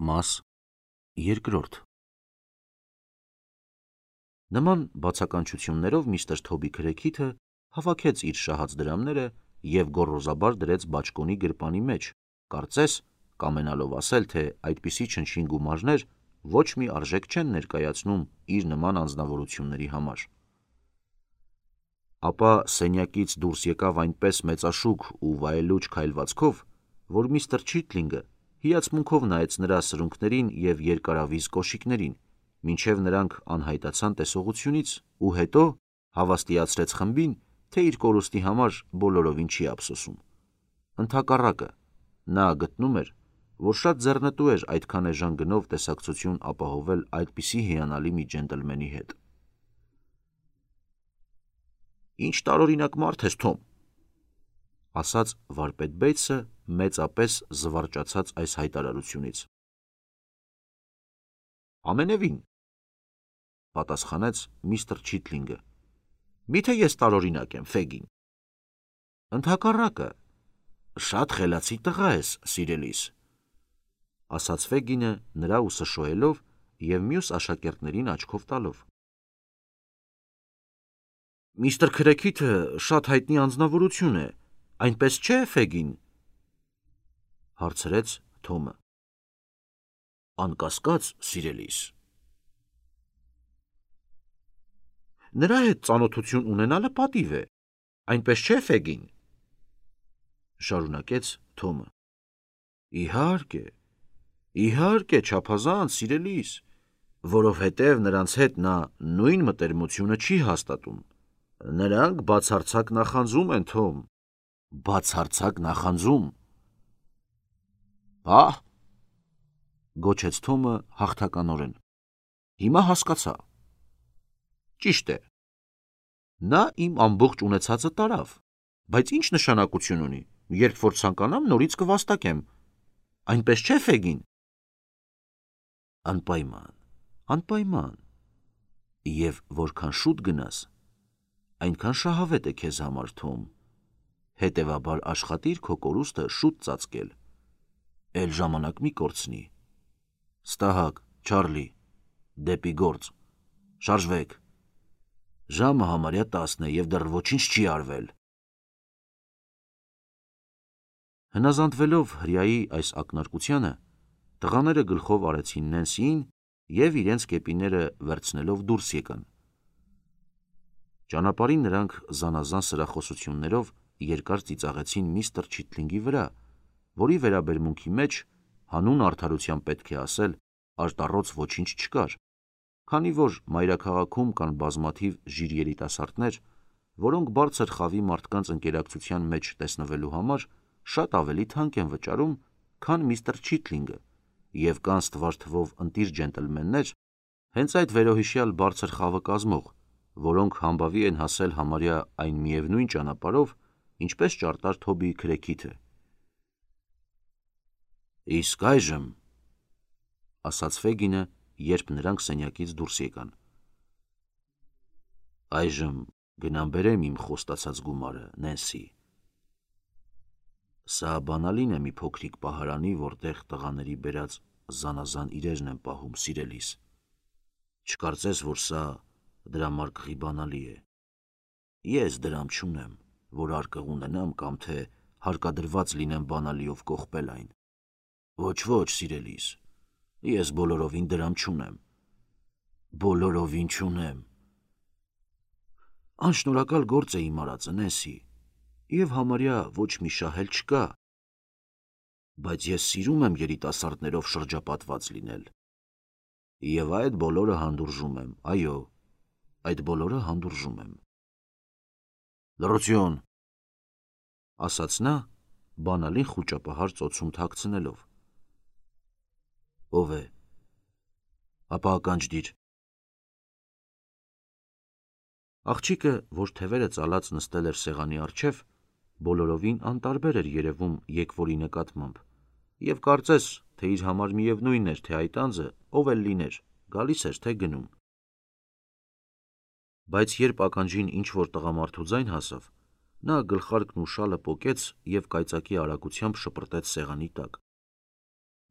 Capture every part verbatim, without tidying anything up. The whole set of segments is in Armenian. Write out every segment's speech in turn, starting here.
Մաս երկրորդ Նման բացականչություններով միստր Թոբի Քրեքիթը հավաքեց իր շահած դրամները և գոռոզաբար դրեց բաճկոնի գրպանի մեջ, կարծես կամենալով ասել, թե այդպիսի չնչին գումարներ ոչ մի արժեք չեն ներկայացնում իր նման անձնավորությունների համար: Ապա սենյակից դուրս եկավ այնպես մեծաշուք ու վայելուչ քայլվածքով, որ միստր Չիթլինգը հիացմունքով նայեց նրա սրունքներին և երկարավիզ կոշիկներին, մինչև նրանք անհայտացան տեսողությունից ու հետո հավաստիացրեց խմբին, թե իր կորուստի համար բոլորովին չի ափսոսում: Ընդհակառակը, նա գտնում էր, որ շատ ձեռնտու էր այդքան էժան գնով տեսակցություն ապահովել այդպիսի հիանալի մի ջենտլմենի հետ: «Ինչ տարօրինակ մարդ ես, Թոմ», ասաց վարպետ Բեյթսը մեծապես զվարճացած այս հայտարարությունից: «Ամենևին», պատասխանեց միստր Չիթլինգը, «միթե ես տարօրինակ եմ, Ֆեգին»: «Ընդհակառակը, շատ խելացի տղա ես, սիրելիս», ասաց Ֆեգինը նրա ուսը շոյելով և մյուս աշակերտներին աչքով տալով: «Միստր Քրեքիթը շատ հայտնի անձնավորություն է, այնպես չէ, Ֆեգին»: հարցրեց Թոմը: «Անկասկած, սիրելիս»: «Նրա հետ ծանոթություն ունենալը պատիվ է, այնպես չէ, Ֆեգին»: շարունակեց Թոմը: «Իհարկե, իհարկե, չափազանց, սիրելիս, որովհետև նրանց հետ նա նույն մտերմությունը չի հաստատում: Նրանք բացարձակ նախանձում են, Թոմ, բացարձակ նախանձում»: «Ահ», գոչեց Թոմը հաղթականորեն, «հիմա հասկացա: Ճիշտ է, նա իմ ամբողջ ունեցածը տարավ, բայց ի՞նչ նշանակություն ունի, երբ որ ցանկանամ նորից կվաստակեմ, այնպես չէ, Ֆեգին»: «Անպայման, անպայման, և որքան շուտ գնաս, այնքան շահավետ է քեզ համար, Թոմ, հետևաբար աշխատիր քո կորուստը շուտ ծածկել, էլ ժամանակ մի կորցնի: Ստահակ, Չարլի, դեպի գործ, շարժվեք, ժամը համարյա տասն է և դեռ ոչինչ չի արվել»: Հնազանդվելով հրեայի այս ակնարկությանը, տղաները գլխով արեցին Նենսիին և իրենց կեպիները վերցնելով դուրս եկան: Ճանապարհին նրանք զանազան սրախոսություններով երկար ծիծաղեցին միստր Չիթլինգի վրա, որի վերաբերմունքի մեջ, հանուն արդարության պետք է ասել, արտառոց ոչինչ չկար, քանի որ մայրաքաղաքում կան բազմաթիվ ժիր երիտասարդներ, որոնք բարձր խավի մարդկանց ընկերակցության մեջ տեսնվելու համար շատ ավելի թանկ են վճարում, քան միստր Չիթլինգը, և կան ստվար թվով ընտիր ջենտլմեններ, հենց այդ վերոհիշյալ բարձր խավը կազմող, որոնք համբավի են հասել համարյա այն միևնույն ճանապարհով, ինչպես ճարտար Թոբի Քրեքիթը: «Իսկ այժմ», ասաց Ֆեգինը, երբ նրանք սենյակից դուրս եկան, «այժմ գնամ բերեմ իմ խոստացած գումարը, Նենսի: Սա բանալին է մի փոքրիկ պահարանի, որտեղ տղաների բերած զանազան իրերն եմ պահում, սիրելիս: Չկարծես, որ սա դրամարկղի բանալի է: Ես դրամ չունեմ, որ արկղ ունենամ կամ թե հարկադրված լինեմ բանալիով կողպել այն: Ոչ, ոչ, սիրելիս, ես բոլորովին դրամ չունեմ, բոլորովին չունեմ: Անշնորհակալ գործ է իմ արածը, Նենսի, և համարյա ոչ մի շահ էլ չկա, բայց ես սիրում եմ երիտասարդներով շրջապատված լինել, և այդ բոլորը հանդուրժում եմ, այո, այդ բոլորը հանդուրժում եմ»: «Լռություն», ասաց նա, բանալին խուճապահար ծոցում թաքցնելով: «Ո՞վ է, ապա ականջ դիր»: Աղջիկը, որ թևերը ծալած նստել էր սեղանի առջև, բոլորովին անտարբեր էր երևում եկվորի նկատմամբ և կարծես, թե իր համար միևնույն էր, թե այդ անձը ով էլ լիներ, գալիս էր, թե գնում: Բայց երբ ականջին ինչ-որ տղամարդու ձայն հասավ, նա գլխարկն ու շալը պոկեց և կայծակի արագությամբ շպրտեց սեղանի տակ: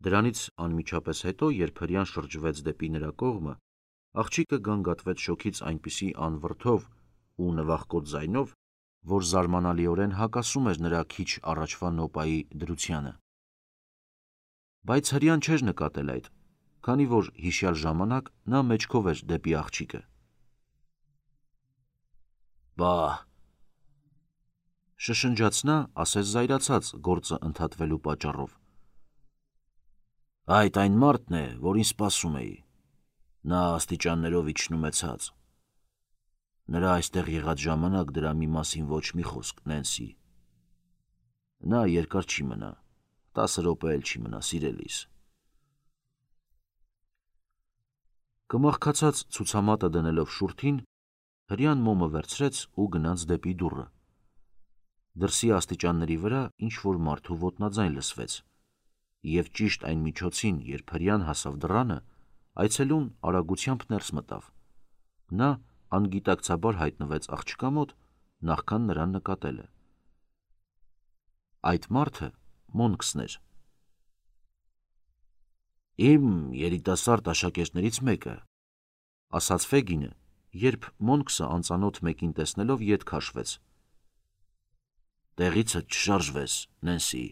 Դրանից անմիջապես հետո, երբ հրեան շրջվեց դեպի նրա կողմը, աղջիկը գանգատվեց շոքից այնպիսի անվրդով ու նվախկոտ ձայնով, որ զարմանալիորեն հակասում էր նրա քիչ առաջվա նոպայի դրությանը։ Բայց հրեան չէր նկատել այդ, քանի որ հիշյալ ժամանակ նա մեջքով էր դեպի աղջիկը։ Բա, շշնջաց նա, ասես զայրացած գործը ընդհատվելու պատճառով։ Այդ այն մարդն է, որին սպասում էի։ Նա աստիճաններով իջնում է ցած։ Նրա այստեղ եղած ժամանակ դրա մի մասին ոչ մի խոսք, Նենսի։ Նա երկար չի մնա, տասը րոպե էլ չի մնա, սիրելիս։ Կմախքացած ցուցամատը դնելով շուրթին, հրեան մոմը վերցրեց ու գնաց դեպի դուռը։ Դրսի աստիճանների վրա ինչ-որ մարդու ոտնաձայն լսվեց, և ճիշտ այն միջոցին, երբ հրեան հասավ դռանը, այցելուն արագությամբ ներս մտավ։ Նա անգիտակցաբար հայտնվեց աղջկա մոտ, նախքան նրան նկատելը։ Այդ մարդը Մոնքսն էր։ Իմ երիտասարդ աշակերտներից մեկը, ասաց Ֆեգինը, երբ Մոնքսը անծանոթ մեկին տեսնելով ետ քաշվեց։ Տեղիցդ չշարժվես, Նենսի։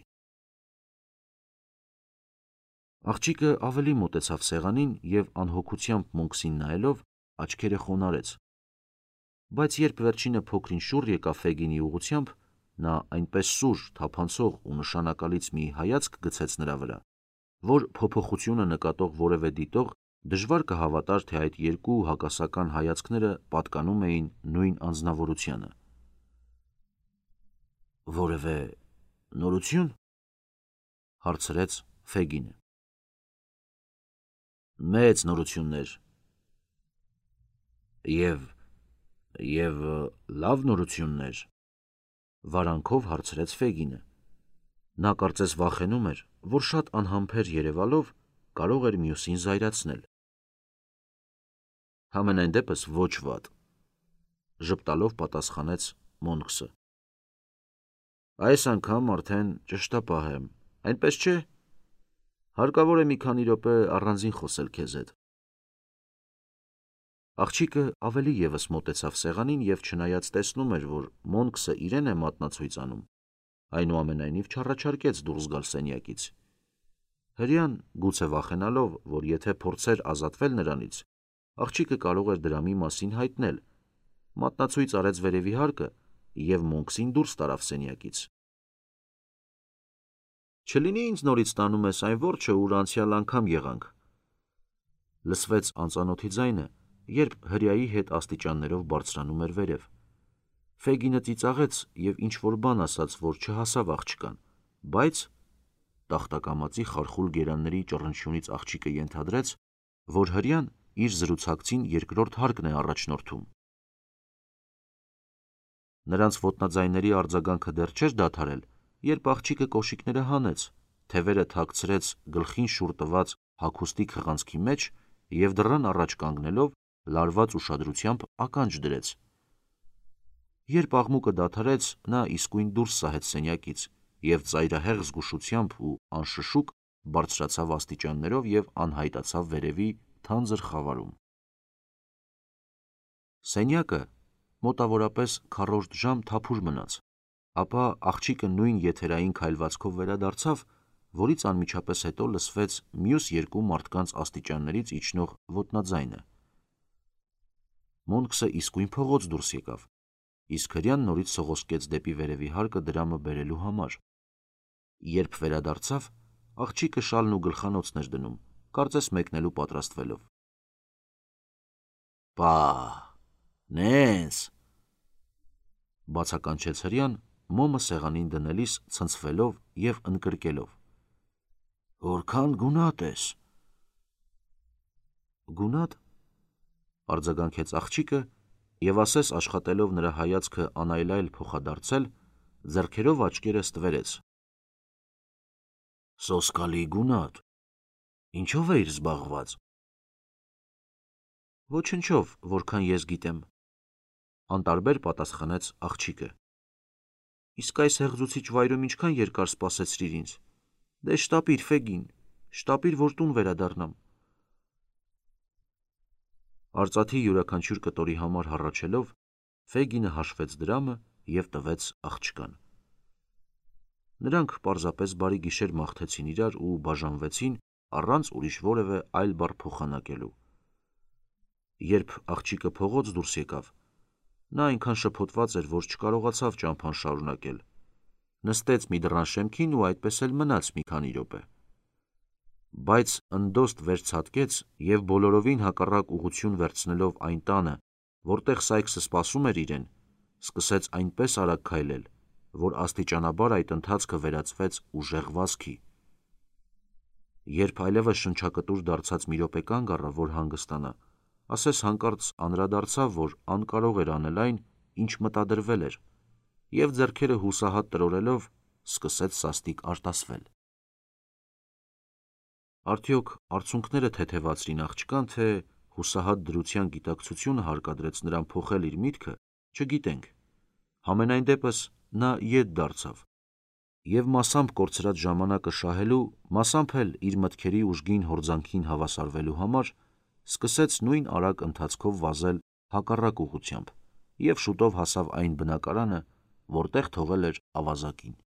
Աղջիկը ավելի մոտեցավ սեղանին և անհոգությամբ Մոնքսին նայելով աչքերը խոնարհեց։ Բայց երբ վերջինը փոքրին շուռ եկավ Ֆեգինի ուղղությամբ, նա այնպես սուր, թափանցող ու նշանակալից մի հայացք գցեց նրա վրա, որ փոփոխությունը նկատող որևէ դիտող դժվար կհավատար, թե այդ երկու հակասական հայացքները պատկանում էին նույն անձնավորությանը։ Որևէ նորություն, հարցրեց Ֆեգինը։ Մեծ նորություններ։ Եվ և լավ նորություններ, վարանքով հարցրեց Ֆեգինը։ Նա կարծես վախենում էր, որ շատ անհամբեր երևալով կարող էր մյուսին զայրացնել։ Համենայն դեպս ոչ վատ, ժպտալով պատասխանեց Մոնքսը։ Այս անգամ արդեն ճշտապահ եմ, այնպես չէ։ Հարկավոր է մի քանի րոպե առանձին խոսել քեզ հետ։ Աղջիկը ավելի ևս մոտեցավ սեղանին և չնայած տեսնում էր, որ Մոնքսը իրեն է մատնացույց անում, այնուամենայնիվ չառաջարկեց դուրս գալ սենյակից։ Հրեան, գուցե վախենալով, որ եթե փորձեր ազատվել նրանից, աղջիկը կարող էր դրա մի մասին հայտնել, մատնացույց արեց վերևի հարկը և Մոնքսին դուրս տարավ սենյակից։ Չլինի ինձ նորից տանում ես այն որջը, ուր անցյալ անգամ եղանք, լսվեց անծանոթի ձայնը, երբ հրեայի հետ աստիճաններով բարձրանում էր վերև։ Ֆեգինը ծիծաղեց և ինչ-որ բան ասաց, որ չհասավ աղջկան, բայց տախտակամածի խարխուլ գերանների ճռնչյունից աղջիկը ենթադրեց, որ հրեան իր զրուցակցին երկրորդ հարկն է առաջնորդում։ Նրանց ոտնաձայների արձագանքը դեռ չէր դադարել, երբ աղջիկը կոշիկները հանեց, թևերը թաքցրեց գլխին շուռ տված հագուստի քղանցքի մեջ և դռան առաջ կանգնելով լարված ուշադրությամբ ականջ դրեց։ Երբ աղմուկը դադարեց, նա իսկույն դուրս սահեց սենյակից և ծայրահեղ զգուշությամբ ու անշշուկ բարձրացավ աստիճաններով և անհայտացավ վերևի թանձր խավարում։ Սենյակը մոտավորապես քառորդ ժամ թափուր մնաց, ապա աղջիկը նույն եթերային քայլվածքով վերադարձավ, որից անմիջապես հետո լսվեց մյուս երկու մարդկանց աստիճաններից իջնող ոտնաձայնը։ Մոնքսը իսկույն փողոց դուրս եկավ, իսկ հրեան նորից սողոսկեց դեպի վերևի հարկը դրամը բերելու համար։ Երբ վերադարձավ, աղջիկը շալն ու գլխանոցն էր դնում, կարծես մեկնելու պատրաստվելով։ Պա, Նենս, բացականչեց հրեան, մոմը սեղանին դնելիս ցնցվելով և ընկրկելով։ Որքան գունատ ես։ Գունատ, արձագանքեց աղջիկը և ասես աշխատելով նրա հայացքը անայլայլ փոխադարձել, ձեռքերով աչքերը ստվերեց։ Սոսկալի գունատ։ Ինչով էիր զբաղված։ Ոչնչով, որքան ես գիտեմ, անտարբեր պատասխանեց աղջիկը։ Իսկ այս հեղձուցիչ վայրում ինչքան երկար սպասեցրիր ինձ։ Դե շտապիր, Ֆեգին, շտապիր, որ տուն վերադառնամ։ Արծաթի յուրաքանչյուր կտորի համար հառաչելով, Ֆեգինը հաշվեց դրամը և տվեց աղջկան։ Նրանք պարզապես բարի գիշեր մաղթեցին իրար ու բաժանվեցին առանց ուրիշ որևէ այլ բառ փոխանակելու։ Երբ աղջիկը փողոց դուրս եկավ, նա այնքան շփոթված էր, որ չկարողացավ ճամփան շարունակել։ Նստեց մի դռան շեմքին ու այդպես էլ մնաց մի քանի րոպե։ Բայց ընդոստ վերցատկեց և բոլորովին հակառակ ուղղություն վերցնելով այն տանը, որտեղ Սայքսը սպասում էր իրեն, սկսեց այնպես արագ քայլել, որ աստիճանաբար այդ ընթացքը վերածվեց ուժեղ վազքի։ Երբ այլևս շնչակտուր դարձած մի րոպե կանգ առավ, որ հանգստանա, ասես հանկարծ անդրադարձավ, որ անկարող էր անել այն, ինչ մտադրվել էր, և ձեռքերը հուսահատ տրորելով սկսեց սաստիկ արտասվել։ Արդյոք արցունքները թեթևացրին աղջկան, թե հուսահատ դրության գիտակցությունը հարկադրեց նրան փոխել իր միտքը, չգիտենք։ Համենայն դեպս նա ետ դարձավ և մասամբ կորցրած ժամանակը շահելու, մասամբ էլ իր մտքերի ուժգին հորձանքին հավասարվելու համար սկսեց նույն արագ ընթացքով վազել հակառակ ուղղությամբ և շուտով հասավ այն բնակարանը, որտեղ թողել էր ավազակին։